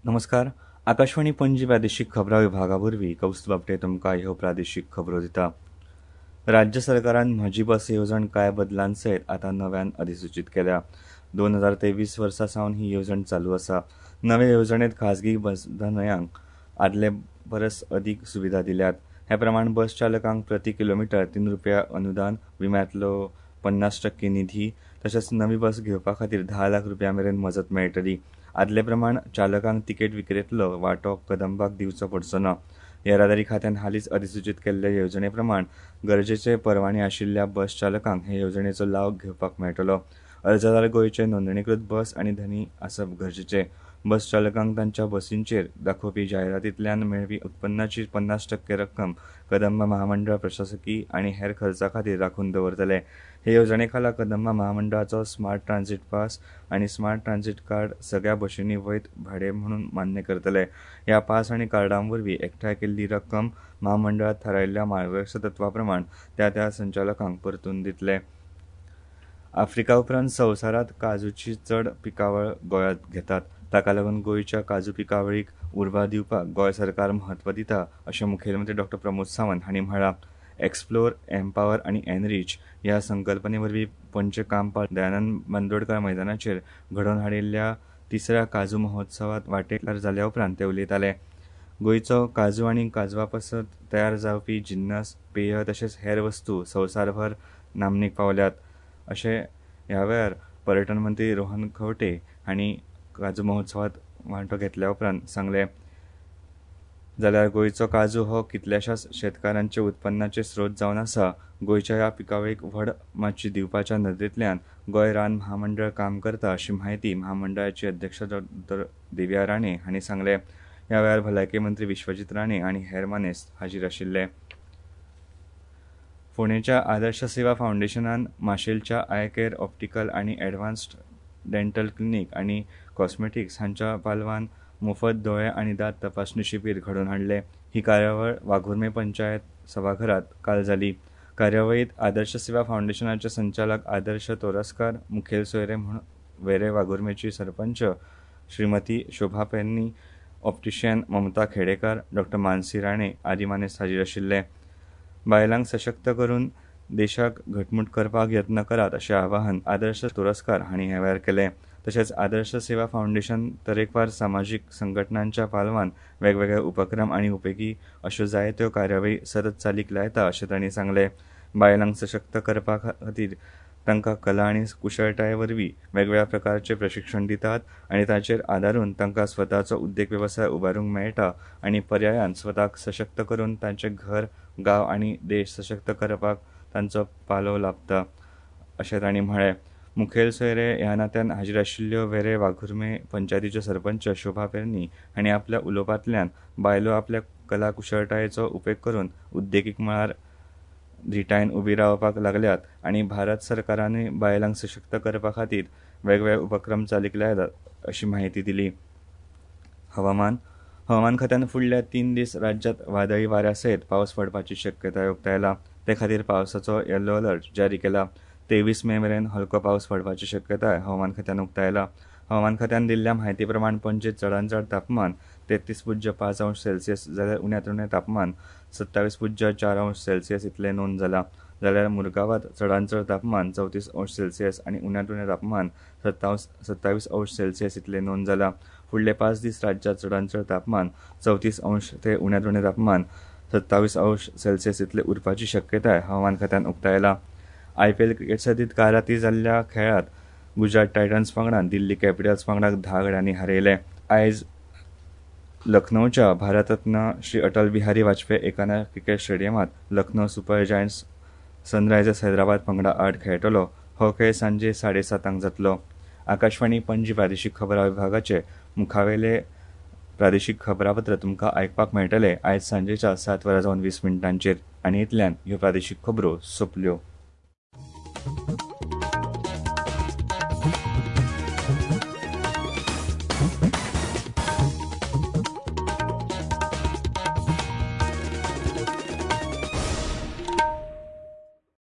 नमस्कार, आकाशवाणी पणजी प्रादेशीक खबरां विभागा वरवीं कौस्तुभ आपटे तुमकां ह्यो प्रादेशीक खबरो दिता. राज्य सरकारान म्हजी बस येवजण कांय बदलां सयत आतां नव्यान अधिसूचीत केल्या. 2023 वर्सा सावन ही येवजण चालू आसा. नवे येवजणेंत खाजगी बसधनयांक आदले परस अदीक सुविधा दिल्यात. हे प्रमाण बस चालकांक प्रति किलोमिटर 3 रुपया अनुदान, विम्यांतलो 50% निधी तशेंच नवी बस घेवपा खातीर 10 लाख रुपया मेरेन मजत मेळटली. आदले प्रमाण चालकांक तिकेट विक्रेंतलो वांटो कदंबाक दिवचो पडचो ना. येरादारी खात्यान हालींच अधिसूचीत केल्ले येवजणे प्रमाण गरजेचे परवाने आशिल्ल्या बस चालकांक हे येवजणेचो लाव घेवपाक मेळटलो. अर्जदार गोंयचे नोंदणीकृत बस आनी धनी आसप गरजेचें. बस चालकांक तांच्या बसींचेर दाखोवपी जायरातींतल्यान मेळपी उत्पन्नाची 50% रक्कम कदंबा महामंडळ प्रशासकी आनी हेर खर्चा खातीर राखून दवरतले. हे येवजणे खाला कदंबा महामंडळाचो स्मार्ट ट्रान्झीट पास आनी स्मार्ट ट्रान्झीट कार्ड सगळ्या बशींनी वैध भाडें म्हणून मान्य करतले. ह्या पास आनी कार्डां वरवीं एकठांय केल्ली रक्कम महामंडळात थारायिल्ल्या मार्गदर्शक तत्वा प्रमाण त्या त्या संचालकांक परतून दितले. आफ्रिका उपरांत संवसारांत काजूची चड पिकावळ गोंयांत घेतात. ताका लागून गोंयच्या काजू पिकावळीक उर्बा दिवपाक गोंय सरकार म्हत्व दिता अशें मुखेलमंत्री डॉ. प्रमोद सावंत हांणी म्हळां. एक्सप्लोर, एम्पावर आनी एनरीच ह्या संकल्पने वरवीं पंचकामपाळ दयानंद बांदोडकर मैदानाचेर घडोवन हाडिल्ल्या तिसऱ्या काजू महोत्सवांत वांटेकार जाल्या उपरांत ते उलयताले. गोंयचो काजू आनी काजवा पासत तयार जावपी जिन्नस, पेय तशेंच हेर वस्तू संवसारभर नामनेक पावल्यात अशें ह्या वेळार पर्यटन मंत्री रोहन खंवटे हांणी काजू महोत्सवात वांटो घेतल्या उपरांत सांगलें. जाल्यार गोंयचो काजू हो कितल्याशाच शेतकारांचे उत्पन्नाचे स्रोत जावन आसा. गोंयच्या ह्या पिकावळीक व्हड माची दिवपाच्या नदरेंतल्यान गोंय रान महामंडळ काम करता अशी म्हायती महामंडळाची अध्यक्ष डॉ. देविया राणे हांणी सांगलें. ह्या वेळार भलायकी मंत्री विश्वजीत राणे आनी हेर मानेस्त हाजीर आशिल्ले. फोंडेच्या आदर्श सेवा फावंडेशनान माशेलच्या I care optical आनी एडवान्स्ड डेंटल क्लिनीक आनी कॉस्मेटिक्स हांच्या पालवान मुफत दोळे आनी दांत तपासणी शिबीर घडोवन हाडलें. ही कार्यावळ वाघुर्मे पंचायत सभाघरांत काल जाली. कार्यावळींत आदर्श सेवा फावंडेशनाचे संचालक आदर्श तोरस्कार मुखेल सोयरे म्हूण वेरें वाघुर्मेची सरपंच श्रीमती शोभा पेन्नी, ऑप्टिशियन ममता खेडेकार, डॉ. मानसी राणे आदी मानेस्त हाजीर आशिल्ले. बायलांक सशक्त करून देशाक घटमूट करपाक यत्न करात अशें आवाहन आदर्श तोरस्कार हांणी ह्या वेळार केलें. तशेंच आदर्श सेवा फावंडेशन तरेकवार सामाजीक संघटनांच्या पालवान वेगवेगळे उपक्रम आनी उपेगी अश्यो जायत्यो कार्यावळी सतत चालीक लायता अशें तांणी सांगलें. बायलांक सशक्त करपा खातीर तांकां कला आनी कुशळटाये वरवीं वेगवेगळ्या प्रकारचें प्रशिक्षण दितात आनी ताचेर आदारून तांकां स्वताचो उद्देग वेवसाय उबारूंक मेळटा आनी पर्यायान स्वताक सशक्त करून तांचें घर, गांव आनी देश सशक्त करपाक तांचो पालव लाबता अशें तांणी म्हळें. मुखेल सोयरे ह्या नात्यान हाजीर आशिल्ल्यो वेरें वाघुर्मे पंचायतीच्यो सरपंच शोभा पेरणी हांणी आपल्या उलोवपांतल्यान बायलो आपल्या कला कुशळटायेचो उपेग करून उद्देगीक मळार धिटायेन उबी रावपाक लागल्यात आनी भारत सरकारानूय बायलांक सशक्त करपा खातीर वेगवेगळे उपक्रम चालीक लायल्यात अशी म्हायती दिली. हवामान. हवामान खात्यान फुडल्या 3 दीस राज्यांत वादळी वाऱ्या सयत पावस पडपाची शक्यताय उक्तायला. ते खातीर पावसाचो येलो अलर्ट जारी केला. 23 मे मेरेन हलको पावस पडपाची शक्यताय हवामान खात्यान उक्तायला. हवामान खात्यान दिल्ल्या म्हायती प्रमाण पणजेंत चडांत चड तापमान 33.5 अंश सेल्सियस जाल्यार उण्यांत उणें तापमान 27.4 अंश सेल्सियस इतलें नोंद जालां. जाल्यार मुरगांवांत चडांत चड तापमान 34 अंश सेल्सियस आनी उण्यांत उणें तापमान 27 अंश सेल्सियस इतलें नोंद जालां. फुडले 5 दीस राज्यांत चडांत चड तापमान 34 अंश ते उण्यांत उणें तापमान 27 अंश सेल्सियस इतलें उरपाची शक्यताय हवामान खात्यान उक्तायला. आयपीएल क्रिकेट सर्तींत काल राती जाल्ल्या खेळांत गुजरात टायटन्स पंगडान दिल्ली कॅपिटल्स पंगडाक 10 गड्यांनी हारयलें. आयज लखनौच्या भारतरत्न श्री अटल बिहारी वाजपेयी एकाना क्रिकेट स्टेडियमांत Lucknow super giants Sunrisers Hyderabad पंगडा आड खेळटलो. हो खेळ सांजे 7:30 जातलो. आकाशवाणी पणजी प्रादेशीक खबरां विभागाचे मुखावेले प्रादेशीक खबरापत्र तुमकां आयकपाक मेळटलें आयज सांजेच्या 7:20 आनी इतल्यान ह्यो प्रादेशीक खबरो सोंपल्यो.